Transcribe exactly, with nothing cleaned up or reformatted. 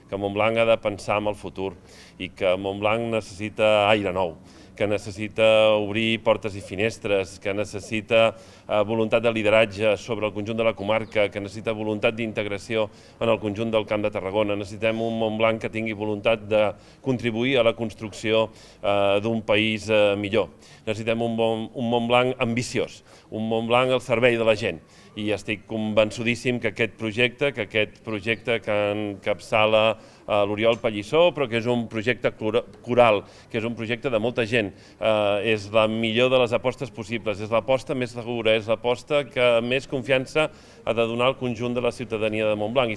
que Montblanc ha de pensar en el futur i que Montblanc necessita aire nou, que necessita obrir portes i finestres, que necessita voluntat de lideratge sobre el conjunt de la comarca, que necessita voluntat d'integració en el conjunt del Camp de Tarragona. Necessitem un Montblanc que tingui voluntat de contribuir a la construcció d'un país millor. Necessitem un Montblanc ambiciós, un Montblanc al servei de la gent. I estic convençudíssim que aquest projecte, que aquest projecte que encapçala l'Oriol Pallissó, però que és un projecte coral, que és un projecte de molta gent, és la millor de les apostes possibles, és l'aposta més segura, és l'aposta que més confiança ha de donar al conjunt de la ciutadania de Montblanc.